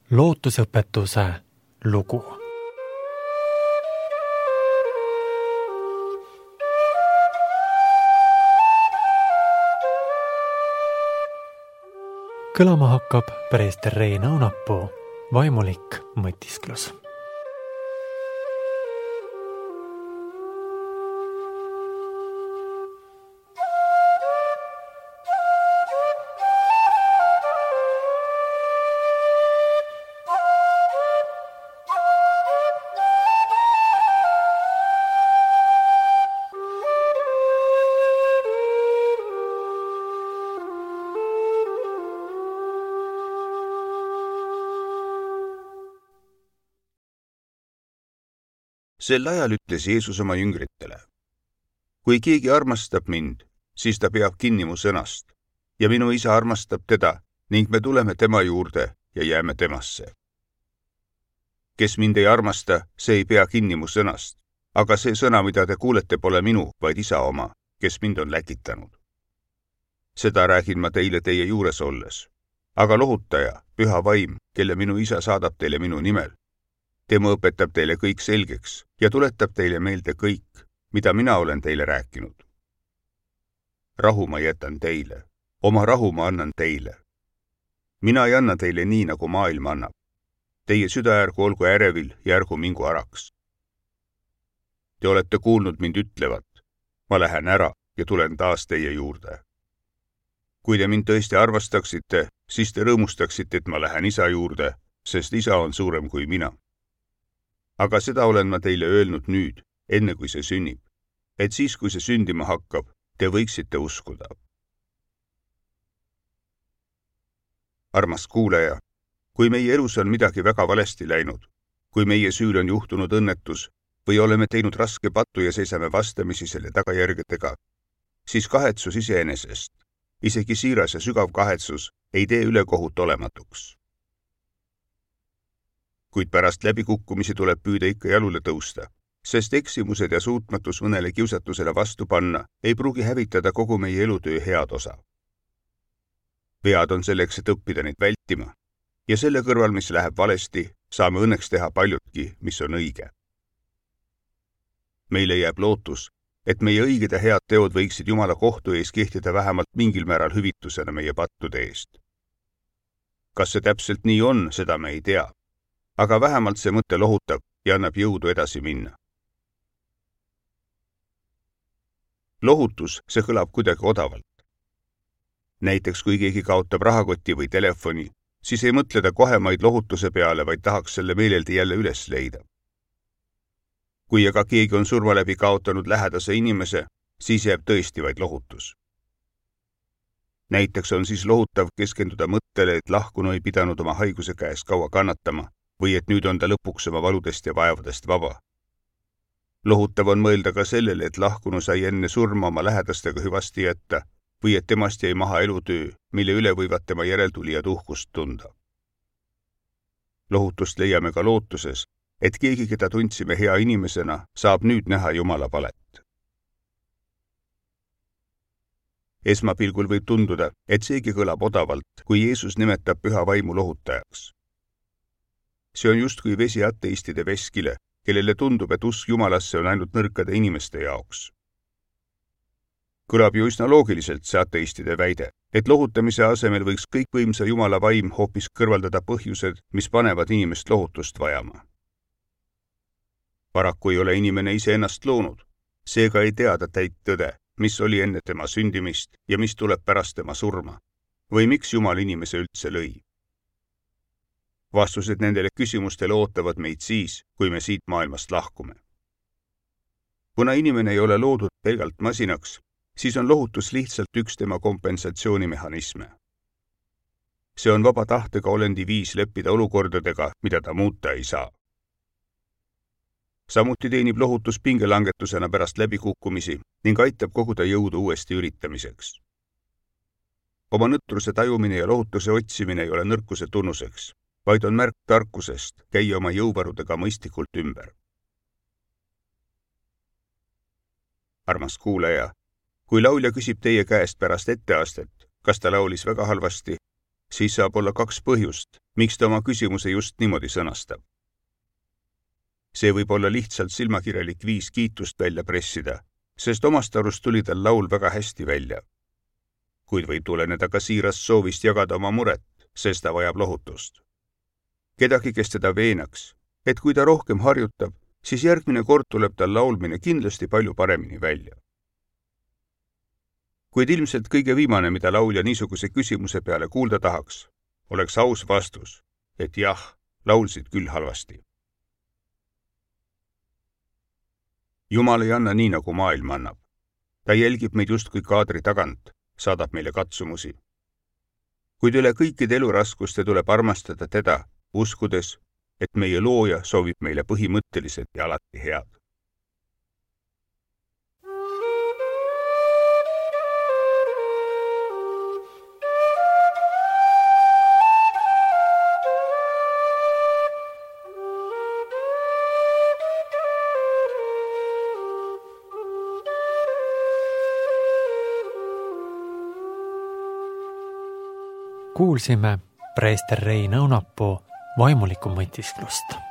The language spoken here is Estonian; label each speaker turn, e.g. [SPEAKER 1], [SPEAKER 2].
[SPEAKER 1] Lootusõpetuse lugu. Kõlama hakkab preester Rein Aunapuu vaimulik mõtisklus.
[SPEAKER 2] Sel ajal ütles Jeesus oma jüngritele: kui keegi armastab mind, siis ta peab kinni mu sõnast ja minu isa armastab teda ning me tuleme tema juurde ja jääme temasse. Kes mind ei armasta, see ei pea kinni mu sõnast, aga see sõna, mida te kuulete, pole minu, vaid isa oma, kes mind on läkitanud. Seda räägin ma teile teie juures olles, aga lohutaja, püha vaim, kelle minu isa saadab teile minu nimel, tema õpetab teile kõik selgeks ja tuletab teile meelde kõik, mida mina olen teile rääkinud. Rahu ma jätan teile, oma rahu ma annan teile. Mina ei anna teile nii, nagu maailm annab. Teie süda ärgu olgu ärevil ja ärgu mingu araks. Te olete kuulnud mind ütlevat: ma lähen ära ja tulen taas teie juurde. Kui te mind tõesti armastaksite, siis te rõõmustaksite, et ma lähen isa juurde, sest isa on suurem kui mina. Aga seda olen ma teile öelnud nüüd, enne kui see sünnib, et siis, kui see sündima hakkab, te võiksite uskuda. Armas kuulaja, kui meie elus on midagi väga valesti läinud, kui meie süül on juhtunud õnnetus või oleme teinud raske pattu ja seisame vastamisi selle tagajärgedega, siis kahetsus iseenesest, isegi siiras ja sügav kahetsus, ei tee ülekohut olematuks. Kuid pärast läbikukkumisi tuleb püüda ikka jalule tõusta, sest eksimused ja suutmatus mõnele kiusatusele vastu panna ei pruugi hävitada kogu meie elutöö head osa. Vead on selleks, et õppida neid vältima, ja selle kõrval, mis läheb valesti, saame õnneks teha paljutki, mis on õige. Meile jääb lootus, et meie õiged ja head teod võiksid Jumala kohtu ees kehtida vähemalt mingil määral hüvitusena meie pattude eest. Kas see täpselt nii on, seda me ei tea. Aga vähemalt see mõte lohutab ja annab jõudu edasi minna. Lohutus, see kõlab kuidagi odavalt. Näiteks, kui keegi kaotab rahakoti või telefoni, siis ei mõtle ta kohemaid lohutuse peale, vaid tahaks selle meeleldi jälle üles leida. Kui aga keegi on surma läbi kaotanud lähedase inimese, siis jääb tõesti vaid lohutus. Näiteks on siis lohutav keskenduda mõttele, et lahkunu ei pidanud oma haiguse käes kaua kannatama, või et nüüd on ta lõpuks oma valudest ja vaevadest vaba. Lohutav on mõelda ka sellele, et lahkunu sai enne surma oma lähedastega hüvasti jätta või et temast jäi maha elutöö, mille üle võivad tema järeltulijad uhkust tunda. Lohutust leiame ka lootuses, et keegi, keda tundsime hea inimesena, saab nüüd näha Jumala palet. Esmapilgul võib tunduda, et seegi kõlab odavalt, kui Jeesus nimetab püha vaimu lohutajaks. See on justkui vesi ateistide veskile, kellele tundub, et usk Jumalasse on ainult nõrkade inimeste jaoks. Kõlab ju üsna loogiliselt see ateistide väide, et lohutamise asemel võiks kõikvõimsa Jumala vaim hoopis kõrvaldada põhjused, mis panevad inimest lohutust vajama. Paraku ei ole inimene ise ennast loonud, seega ei tea ta täit tõde, mis oli enne tema sündimist ja mis tuleb pärast tema surma, või miks Jumal inimese üldse lõi. Vastused nendele küsimustele ootavad meid siis, kui me siit maailmast lahkume. Kuna inimene ei ole loodud pelgalt masinaks, siis on lohutus lihtsalt üks tema kompensatsioonimehhanisme. See on vaba tahtega olendi viis leppida olukordadega, mida ta muuta ei saa. Samuti teenib lohutus pingelangetusena pärast läbikukkumisi ning aitab koguda jõudu uuesti üritamiseks. Oma nõtruse tajumine ja lohutuse otsimine ei ole nõrkuse tunnuseks, vaid on märk tarkusest käia oma jõuvarudega mõistlikult ümber. Armas kuulaja, kui laulja küsib teie käest pärast etteastet, kas ta laulis väga halvasti siis saab olla 2 põhjust, miks ta oma küsimuse just niimoodi sõnastab. See võib olla lihtsalt silmakirjalik viis kiitust välja pressida, sest omast arust tuli tal laul väga hästi välja. Kuid võib tuleneda ka siirast soovist jagada oma muret, sest ta vajab lohutust. Kedagi, kes teda veenaks, et kui ta rohkem harjutab, siis järgmine kord tuleb tal laulmine kindlasti palju paremini välja. Kuid ilmselt kõige viimane, mida laulja niisuguse küsimuse peale kuulda tahaks, oleks aus vastus, et jah, laulsid küll halvasti. Jumal ei anna nii, nagu maailm annab. Ta jälgib meid justkui kaadri tagant, saadab meile katsumusi. Kuid üle kõikide eluraskuste tuleb armastada teda, uskudes, et meie looja soovib meile põhimõtteliselt ja alati head.
[SPEAKER 1] Kuulsime preester Rein Õunapuu vaimulikku mõtisklust.